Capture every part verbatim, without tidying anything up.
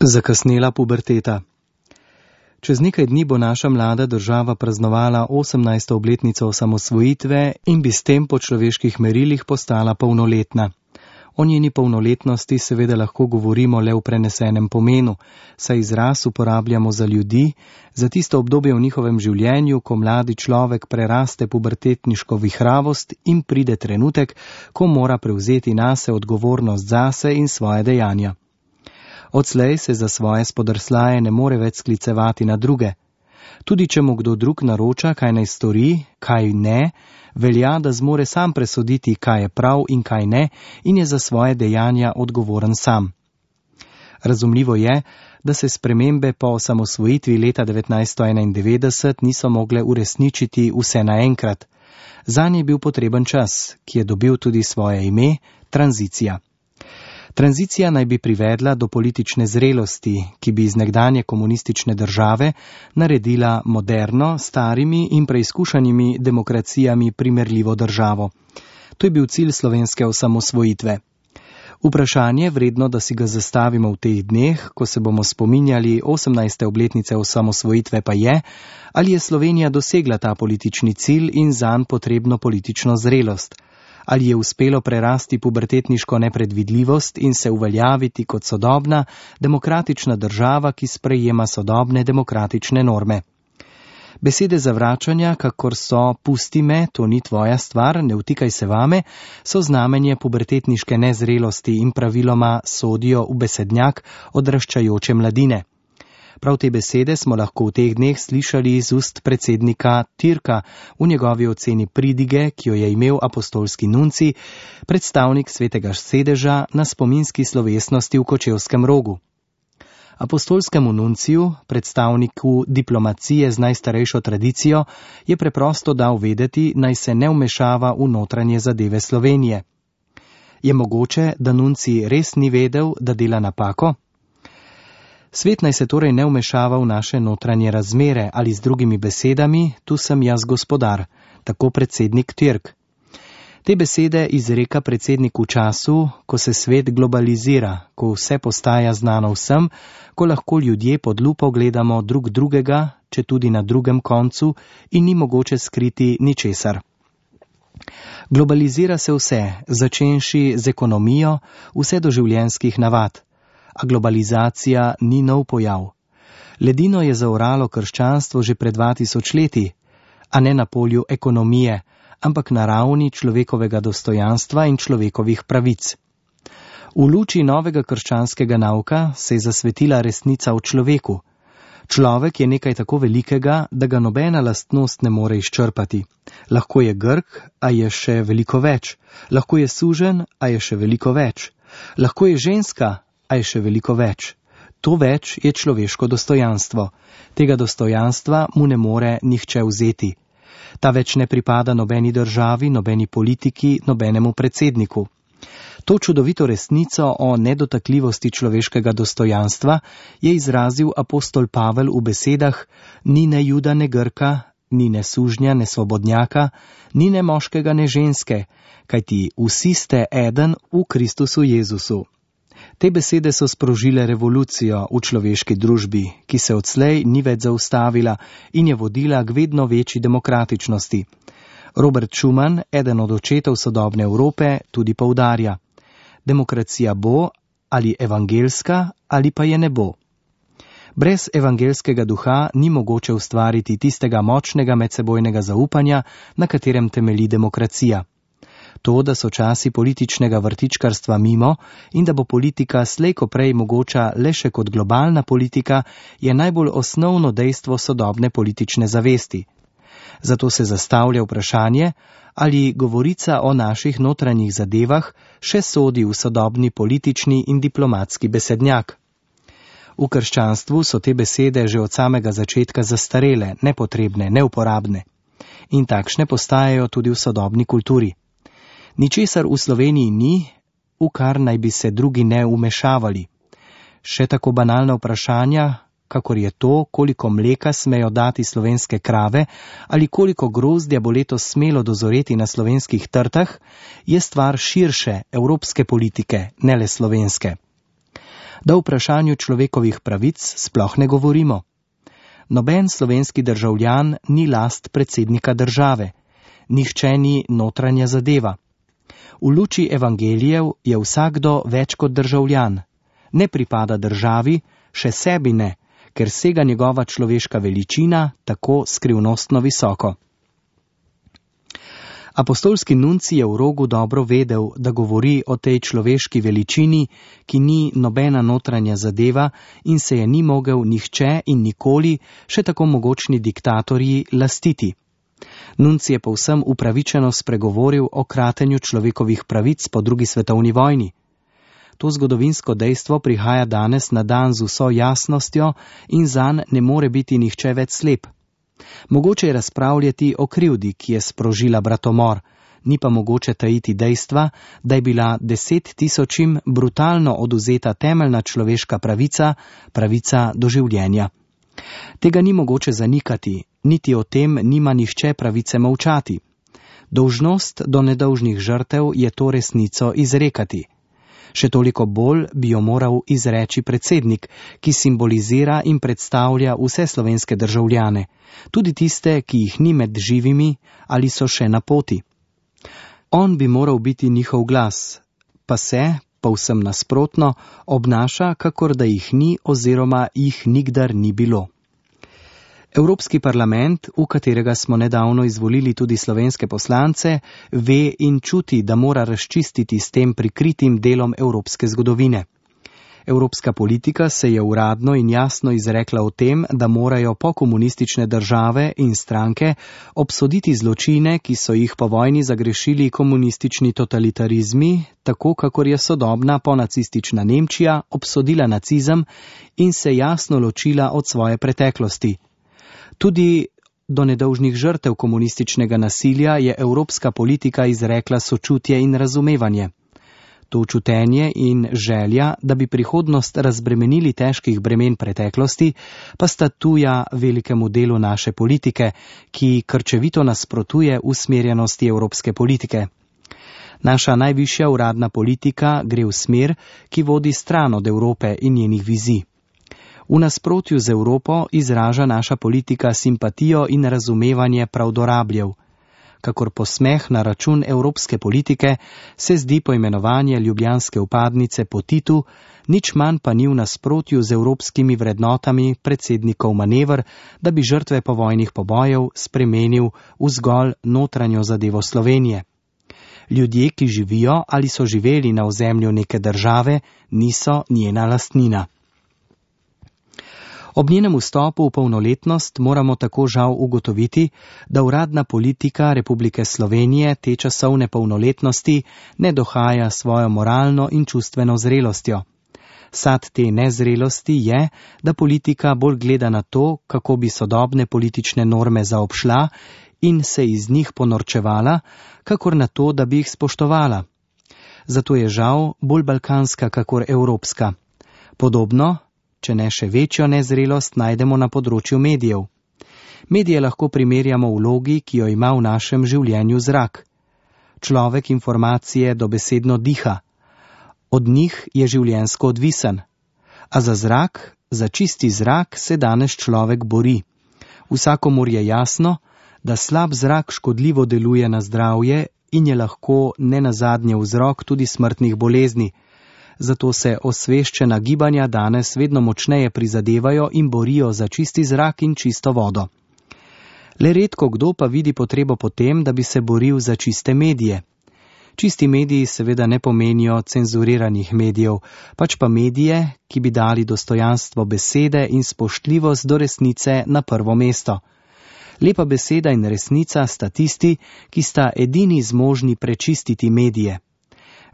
Zakasnela puberteta. Čez nekaj dni bo naša mlada država praznovala osemnajsto obletnico osamosvojitve in bi s tem po človeških merilih postala polnoletna. O njeni polnoletnosti seveda lahko govorimo le v prenesenem pomenu, saj izraz uporabljamo za ljudi, za tisto obdobje v njihovem življenju, ko mladi človek preraste pubertetniško vihravost in pride trenutek, ko mora prevzeti nase odgovornost zase in svoje dejanja. Odslej se za svoje spodrslaje ne more več sklicevati na druge. Tudi če mu kdo drug naroča, kaj naj stori, kaj ne, velja, da zmore sam presoditi, kaj je prav in kaj ne, in je za svoje dejanja odgovoren sam. Razumljivo je, da se spremembe po osamosvojitvi leta devetnajststo enaindevetdeset niso mogle uresničiti vse naenkrat. Zanje je bil potreben čas, ki je dobil tudi svoje ime, tranzicija. Tranzicija naj bi privedla do politične zrelosti, ki bi iz nekdanje komunistične države naredila moderno, starimi in preizkušanimi demokracijami primerljivo državo. To je bil cilj slovenske osamosvojitve. Vprašanje, vredno, da si ga zastavimo v teh dneh, ko se bomo spominjali osemnajste obletnice osamosvojitve, pa je, ali je Slovenija dosegla ta politični cilj in zanj potrebno politično zrelost. Ali je uspelo prerasti pubertetniško nepredvidljivost in se uveljaviti kot sodobna, demokratična država, ki sprejema sodobne demokratične norme. Besede zavračanja, kakor so pusti me, to ni tvoja stvar, ne vtikaj se vame, so znamenje pubertetniške nezrelosti in praviloma sodijo v besednjak odraščajoče mladine. Prav te besede smo lahko v teh dneh slišali iz ust predsednika Türka v njegovi oceni pridige, ki jo je imel apostolski nunci, predstavnik svetega sedeža na spominski slovesnosti v Kočevskem Rogu. Apostolskemu nunciju, predstavniku diplomacije z najstarejšo tradicijo, je preprosto dal vedeti, naj se ne vmešava v notranje zadeve Slovenije. Je mogoče, da nunci res ni vedel, da dela napako? Svet naj se torej ne vmešava v naše notranje razmere ali z drugimi besedami, tu sem jaz gospodar, tako predsednik Türk. Te besede izreka predsednik v času, ko se svet globalizira, ko vse postaja znano vsem, ko lahko ljudje pod lupo gledamo drug drugega, če tudi na drugem koncu, in ni mogoče skriti ničesar. Globalizira se vse, začenši z ekonomijo, vse do življenjskih navad. A globalizacija ni nov pojav. Ledino je zaoralo krščanstvo že pred dva tisoč leti, a ne na polju ekonomije, ampak na ravni človekovega dostojanstva in človekovih pravic. V luči novega krščanskega nauka se je zasvetila resnica o človeku. Človek je nekaj tako velikega, da ga nobena lastnost ne more izčrpati. Lahko je Grk, a je še veliko več. Lahko je suženj, a je še veliko več. Lahko je ženska, a je še veliko več. To več je človeško dostojanstvo. Tega dostojanstva mu ne more nihče vzeti. Ta več ne pripada nobeni državi, nobeni politiki, nobenemu predsedniku. To čudovito resnico o nedotakljivosti človeškega dostojanstva je izrazil apostol Pavel v besedah: ni ne Juda, ne Grka, ni ne sužnja, ne svobodnjaka, ni ne moškega, ne ženske, kajti vsi ste eden v Kristusu Jezusu. Te besede so sprožile revolucijo v človeški družbi, ki se odslej ni več zaustavila in je vodila k vedno večji demokratičnosti. Robert Schuman, eden od očetov sodobne Evrope, tudi poudarja: demokracija bo ali evangelska ali pa je ne bo. Brez evangelskega duha ni mogoče ustvariti tistega močnega medsebojnega zaupanja, na katerem temelji demokracija. To, da so časi političnega vrtičkarstva mimo in da bo politika slej ko prej mogoča le še kot globalna politika, je najbolj osnovno dejstvo sodobne politične zavesti. Zato se zastavlja vprašanje, ali govorica o naših notranjih zadevah še sodi v sodobni politični in diplomatski besednjak. V krščanstvu so te besede že od samega začetka zastarele, nepotrebne, neuporabne. In takšne postajajo tudi v sodobni kulturi. Ničesar v Sloveniji ni, v kar naj bi se drugi ne vmešavali. Še tako banalna vprašanja, kakor je to, koliko mleka smejo dati slovenske krave ali koliko grozdja bo letos smelo dozoreti na slovenskih trtah, je stvar širše evropske politike, ne le slovenske. Da o vprašanju človekovih pravic sploh ne govorimo. Noben slovenski državljan ni last predsednika države, nihče ni notranja zadeva. V luči evangelijev je vsakdo več kot državljan, ne pripada državi, še sebi ne, ker sega njegova človeška veličina tako skrivnostno visoko. Apostolski nuncij je v Rogu dobro vedel, da govori o tej človeški veličini, ki ni nobena notranja zadeva in se je ni mogel nihče in nikoli, še tako mogočni diktatorji, lastiti. Nuncij je povsem upravičeno spregovoril o kratenju človekovih pravic po drugi svetovni vojni. To zgodovinsko dejstvo prihaja danes na dan z vso jasnostjo in zanj ne more biti nihče več slep. Mogoče je razpravljati o krivdi, ki je sprožila bratomor, ni pa mogoče tajiti dejstva, da je bila deset tisočim brutalno odvzeta temeljna človeška pravica, pravica do življenja. Tega ni mogoče zanikati, niti o tem nima nihče pravice molčati. Dolžnost do nedolžnih žrtev je to resnico izrekati. Še toliko bolj bi jo moral izreči predsednik, ki simbolizira in predstavlja vse slovenske državljane, tudi tiste, ki jih ni med živimi ali so še na poti. On bi moral biti njihov glas, pa se, povsem nasprotno, obnaša, kakor da jih ni oziroma jih nikdar ni bilo. Evropski parlament, v katerega smo nedavno izvolili tudi slovenske poslance, ve in čuti, da mora razčistiti s tem prikritim delom evropske zgodovine. Evropska politika se je uradno in jasno izrekla o tem, da morajo pokomunistične države in stranke obsoditi zločine, ki so jih po vojni zagrešili komunistični totalitarizmi, tako kakor je sodobna ponacistična Nemčija obsodila nacizem in se jasno ločila od svoje preteklosti. Tudi do nedolžnih žrtev komunističnega nasilja je evropska politika izrekla sočutje in razumevanje. To čutenje in želja, da bi prihodnost razbremenili težkih bremen preteklosti, pa sta tuja velikemu delu naše politike, ki krčevito nasprotuje usmerjenosti evropske politike. Naša najvišja uradna politika gre v smer, ki vodi stran od Evrope in njenih vizij. V nasprotju z Evropo izraža naša politika simpatijo in razumevanje pravdorabljev. Kakor posmeh na račun evropske politike se zdi poimenovanje ljubljanske vpadnice po Titu, nič manj pa ni v nasprotju z evropskimi vrednotami predsednikov manever, da bi žrtve povojnih pobojev spremenil v zgolj notranjo zadevo Slovenije. Ljudje, ki živijo ali so živeli na ozemlju neke države, niso njena lastnina. Ob njenem vstopu v polnoletnost moramo tako žal ugotoviti, da uradna politika Republike Slovenije te časovne polnoletnosti ne dohaja svojo moralno in čustveno zrelostjo. Sad te nezrelosti je, da politika bolj gleda na to, kako bi sodobne politične norme zaobšla in se iz njih ponorčevala, kakor na to, da bi jih spoštovala. Zato je žal bolj balkanska kakor evropska. Podobno, če ne še večjo nezrelost, najdemo na področju medijev. Medije lahko primerjamo v vlogi, ki jo ima v našem življenju zrak. Človek informacije dobesedno diha. Od njih je življenjsko odvisen. A za zrak, za čisti zrak se danes človek bori. Vsakomur je jasno, da slab zrak škodljivo deluje na zdravje in je lahko nenazadnje vzrok tudi smrtnih bolezni. Zato se osveščena gibanja danes vedno močneje prizadevajo in borijo za čisti zrak in čisto vodo. Le redko kdo pa vidi potrebo po tem, da bi se boril za čiste medije. Čisti mediji seveda ne pomenijo cenzuriranih medijev, pač pa medije, ki bi dali dostojanstvo besede in spoštljivost do resnice na prvo mesto. Lepa beseda in resnica sta tisti, ki sta edini zmožni prečistiti medije.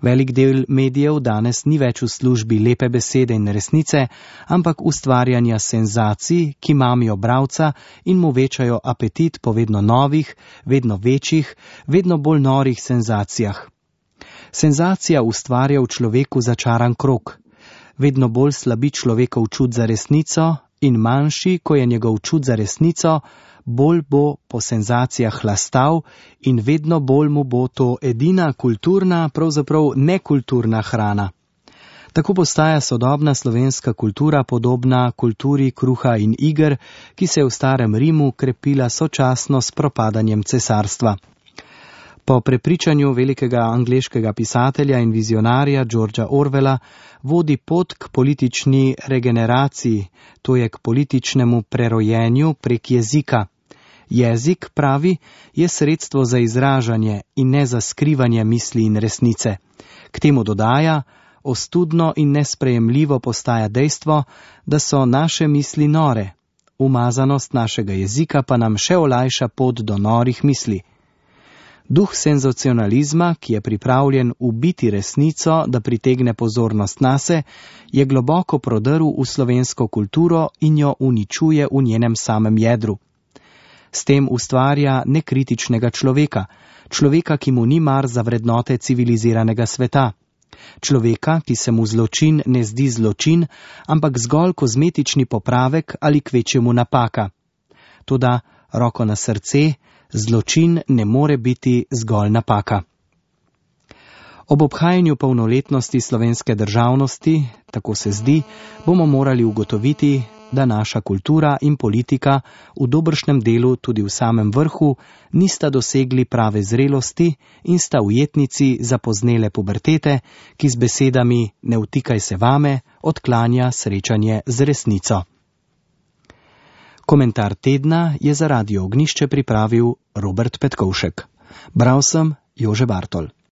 Velik del medijev danes ni več v službi lepe besede in resnice, ampak ustvarjanja senzacij, ki mamijo bralca in mu večajo apetit po vedno novih, vedno večjih, vedno bolj norih senzacijah. Senzacija ustvarja v človeku začaran krog. Vedno bolj slabi človekov čut za resnico in manjši, ko je njegov čut za resnico, bolj bo po senzacijah hlastal in vedno bolj mu bo to edina kulturna, pravzaprav nekulturna hrana. Tako postaja sodobna slovenska kultura podobna kulturi kruha in iger, ki se je v starem Rimu krepila sočasno s propadanjem cesarstva. Po prepričanju velikega angleškega pisatelja in vizionarja Georgea Orwella vodi pot k politični regeneraciji, to je k političnemu prerojenju prek jezika. Jezik, pravi, je sredstvo za izražanje in ne za skrivanje misli in resnice. K temu dodaja, ostudno in nesprejemljivo postaja dejstvo, da so naše misli nore. Umazanost našega jezika pa nam še olajša pot do norih misli. Duh senzacionalizma, ki je pripravljen ubiti resnico, da pritegne pozornost nase, je globoko prodrl v slovensko kulturo in jo uničuje v njenem samem jedru. S tem ustvarja nekritičnega človeka, človeka, ki mu ni mar za vrednote civiliziranega sveta. Človeka, ki se mu zločin ne zdi zločin, ampak zgolj kozmetični popravek ali kvečjemu napaka. Toda, roko na srce, zločin ne more biti zgolj napaka. Ob obhajanju polnoletnosti slovenske državnosti, tako se zdi, bomo morali ugotoviti, da naša kultura in politika v dobršnem delu tudi v samem vrhu nista dosegli prave zrelosti in sta ujetnici zapoznele pubertete, ki z besedami "ne vtikaj se vame" odklanja srečanje z resnico. Komentar tedna je za Radio Ognjišče pripravil Robert Petkovšek. Bral sem Jože Bartol.